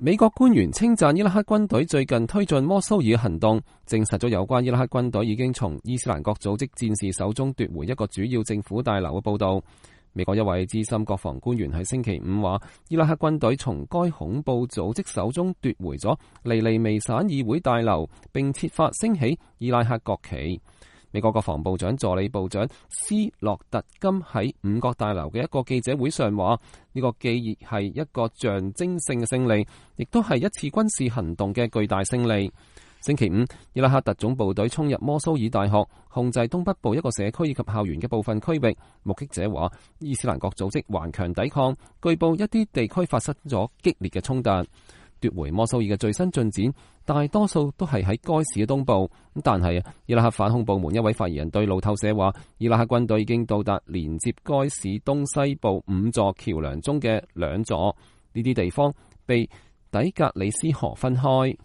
美國官員稱讚伊拉克軍隊最近推進摩蘇爾行動，證實咗有關伊拉克軍隊已經從伊斯蘭國組織戰士手中奪回一個主要政府大樓嘅報道。美國一位資深國防官員喺星期五話，伊拉克軍隊從該恐怖組織手中奪回咗尼尼微省議會大樓，並設法升起伊拉克國旗。美國國防部長助理部長斯洛特金喺五角大樓嘅一個記者會上話，呢個既係一個象徵性嘅勝利，亦都係一次軍事行動嘅巨大勝利。星期五，伊拉克特種部隊衝入摩蘇爾大學，控制東北部一個社區以及校園嘅部分區域。目擊者話，伊斯蘭國組織頑強抵抗，據報一啲地區發生咗激烈嘅衝突。奪回摩蘇爾嘅最新進展，大多數都係喺該市嘅東部。但係伊拉克反恐部門一位發言人對路透社話，伊拉克軍隊已經到達連接該市東西部5座橋樑中嘅2座，呢啲地方被底格里斯河分開。